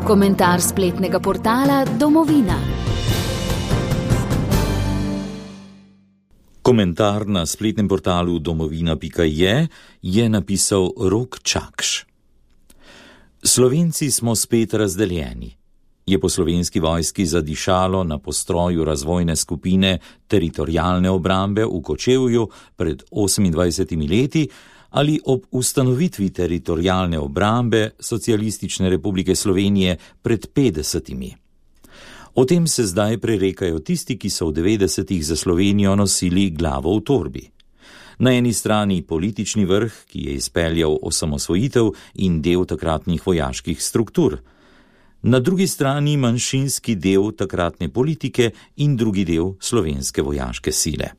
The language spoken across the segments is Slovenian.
Komentar spletnega portala Domovina. Komentar na spletnem portalu domovina.je je napisal Rok Čakš. Slovenci smo spet razdeljeni. Je po Slovenski vojski zadišalo na postroju razvojne skupine teritorialne obrambe v Kočevju pred 28 leti ali ob ustanovitvi teritorialne obrambe Socialistične republike Slovenije pred 50. O tem se zdaj prerekajo tisti, ki so v 90-ih za Slovenijo nosili glavo v torbi. Na eni strani politični vrh, ki je izpeljal osamosvojitev in del takratnih vojaških struktur. Na drugi strani manjšinski del takratne politike in drugi del slovenske vojaške sile.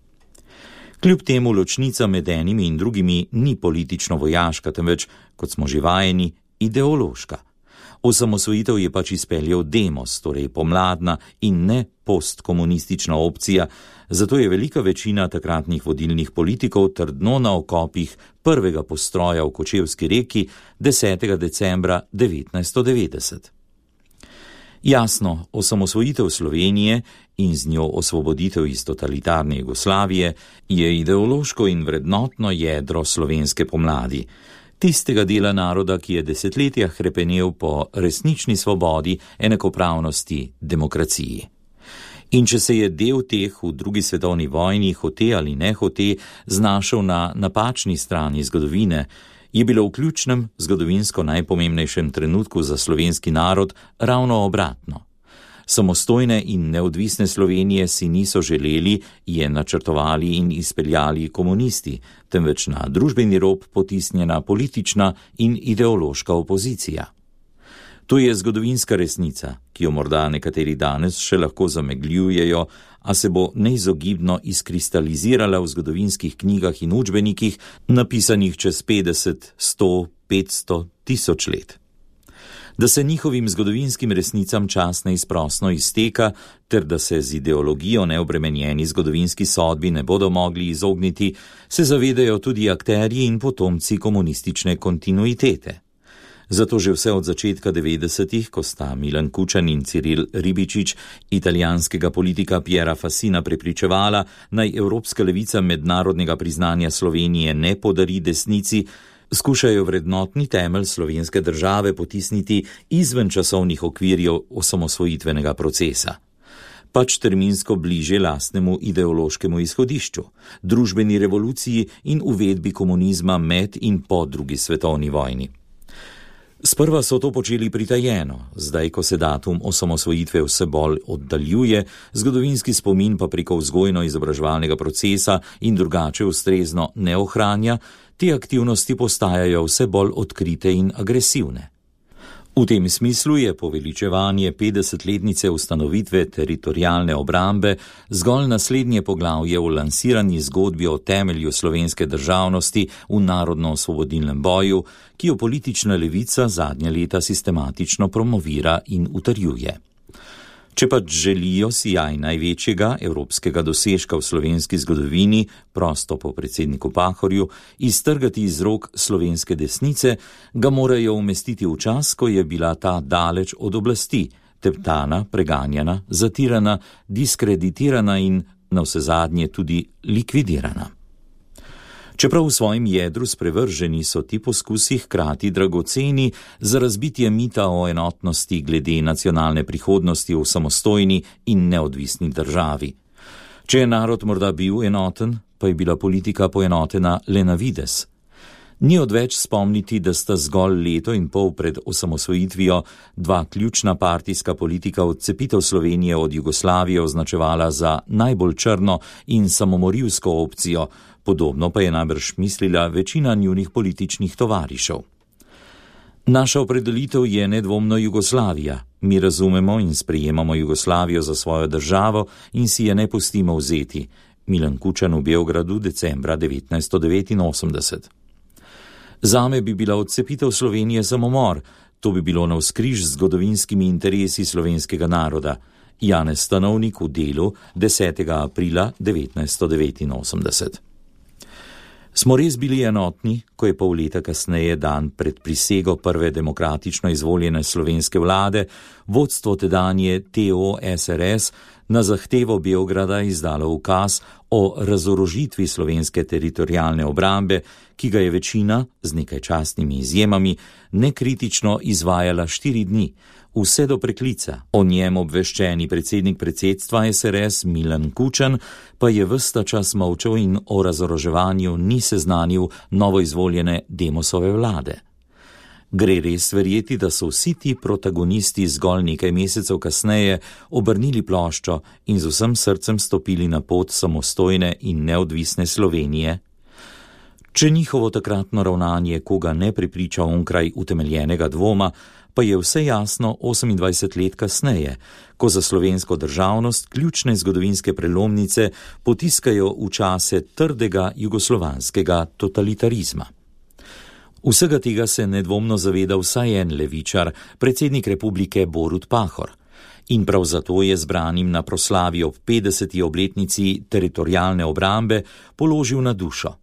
Kljub temu ločnica med enimi in drugimi ni politično-vojaška, temveč, kot smo že vajeni, ideološka. Osamosvojitev je pač izpeljal demos, torej pomladna in ne postkomunistična opcija, zato je velika večina takratnih vodilnih politikov trdno na okopih prvega postroja v Kočevski reki 10. decembra 1990. Jasno, osamosvojitev Slovenije in z njo osvoboditev iz totalitarne Jugoslavije je ideološko in vrednotno jedro slovenske pomladi, tistega dela naroda, ki je desetletja hrepenel po resnični svobodi, enakopravnosti, demokraciji. In če se je del teh v drugi svetovni vojni, hote ali ne hote, znašel na napačni strani zgodovine, je bilo v ključnem, zgodovinsko najpomembnejšem trenutku za slovenski narod ravno obratno. Samostojne in neodvisne Slovenije si niso želeli, je načrtovali in izpeljali komunisti, temveč na družbeni rob potisnjena politična in ideološka opozicija. To je zgodovinska resnica, ki jo morda nekateri danes še lahko zamegljujejo, a se bo neizogibno izkristalizirala v zgodovinskih knjigah in učbenikih, napisanih čez 50, 100, 500, 1000 let. Da se njihovim zgodovinskim resnicam čas neizprosno izteka, ter da se z ideologijo neobremenjeni zgodovinski sodbi ne bodo mogli izogniti, se zavedajo tudi akterji in potomci komunistične kontinuitete. Zato že vse od začetka 90-ih, ko sta Milan Kučan in Ciril Ribičič italijanskega politika Piera Fassina prepričevala, naj evropska levica mednarodnega priznanja Slovenije ne podari desnici, skušajo vrednotni temelj slovenske države potisniti izven časovnih okvirjev osamosvojitvenega procesa. Pač terminsko bliže lastnemu ideološkemu izhodišču, družbeni revoluciji in uvedbi komunizma med in po drugi svetovni vojni. Sprva so to počeli pritajeno, zdaj, ko se datum osamosvojitve vse bolj oddaljuje, zgodovinski spomin pa preko vzgojno-izobraževalnega procesa in drugače ustrezno ne ohranja, te aktivnosti postajajo vse bolj odkrite in agresivne. V tem smislu je poveličevanje 50-letnice ustanovitve teritorialne obrambe zgolj naslednje poglavje v lansirani zgodbi o temelju slovenske državnosti v narodno-osvobodilnem boju, ki jo politična levica zadnja leta sistematično promovira in utrjuje. Če pač želijo sijaj največjega evropskega dosežka v slovenski zgodovini, prosto po predsedniku Pahorju, iztrgati iz rok slovenske desnice, ga morajo umestiti v čas, ko je bila ta daleč od oblasti, teptana, preganjana, zatirana, diskreditirana in navsezadnje tudi likvidirana. Čeprav v svojem jedru sprevrženi, so ti poskusi hkrati dragoceni za razbitje mita o enotnosti glede nacionalne prihodnosti v samostojni in neodvisni državi. Če je narod morda bil enoten, pa je bila politika poenotena le na vides. Ni odveč spomniti, da sta zgolj leto in pol pred osamosvojitvijo dva ključna partijska politika odcepitev Slovenije od Jugoslavije označevala za najbolj črno in samomorilsko opcijo, podobno pa je najbrž mislila večina njunih političnih tovarišev. Naša opredelitev je nedvomno Jugoslavija. Mi razumemo in sprejemamo Jugoslavijo za svojo državo in si je ne pustimo vzeti. Milan Kučan v Beogradu decembra 1989. Zame bi bila odcepitev Slovenije samomor, to bi bilo navzkriž z zgodovinskimi interesi slovenskega naroda. Janez Stanovnik v Delu 10. aprila 1989. Smo res bili enotni, ko je pol leta kasneje, dan pred prisego prve demokratično izvoljene slovenske vlade, vodstvo tedanje TO-SRS na zahtevo Beograda izdalo ukaz o razorožitvi slovenske teritorialne obrambe, ki ga je večina, z nekaj častnimi izjemami, nekritično izvajala 4 dni, vse do preklica. O njem obveščeni predsednik predsedstva SRS Milan Kučan pa je ves ta čas molčal in o razoroževanju ni seznanil novoizvoljene Demosove vlade. Gre res verjeti, da so vsi ti protagonisti zgolj nekaj mesecev kasneje obrnili ploščo in z vsem srcem stopili na pot samostojne in neodvisne Slovenije? Če njihovo takratno ravnanje koga ne prepriča onkraj utemeljenega dvoma, pa je vse jasno 28 let kasneje, ko za slovensko državnost ključne zgodovinske prelomnice potiskajo v čase trdega jugoslovanskega totalitarizma. Vsega tega se nedvomno zaveda vsaj en levičar, predsednik republike Borut Pahor. In prav zato je zbranim na proslavi ob 50. obletnici teritorialne obrambe položil na dušo.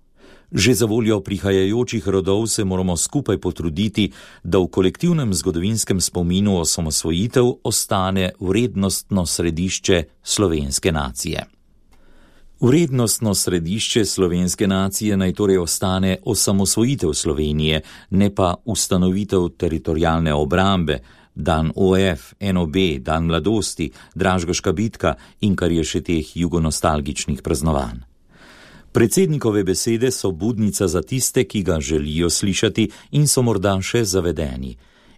Že za voljo prihajajočih rodov se moramo skupaj potruditi, da v kolektivnem zgodovinskem spominu osamosvojitev ostane vrednostno središče slovenske nacije. Vrednostno središče slovenske nacije naj torej ostane osamosvojitev Slovenije, ne pa ustanovitev teritorialne obrambe, dan OF, NOB, dan mladosti, Dražgoška bitka in kar je še teh jugonostalgičnih praznovanj. Predsednikove besede so budnica za tiste, ki ga želijo slišati in so morda še zavedeni.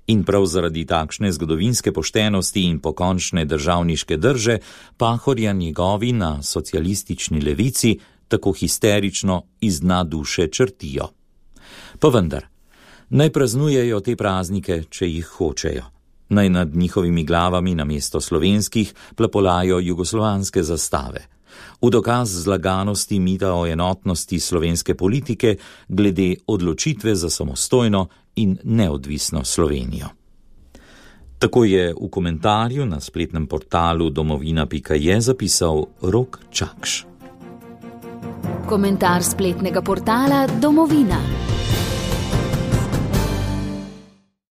In prav zaradi takšne zgodovinske poštenosti in pokončne državniške drže Pahorja njegovi na socialistični levici tako histerično iz dna duše črtijo. Pa vendar, naj praznujejo te praznike, če jih hočejo. Naj nad njihovimi glavami namesto slovenskih plapolajo jugoslovanske zastave. V dokaz zlaganosti mita o enotnosti slovenske politike glede odločitve za samostojno in neodvisno Slovenijo. Tako je v komentarju na spletnem portalu domovina.je zapisal Rok Čakš. Komentar spletnega portala Domovina.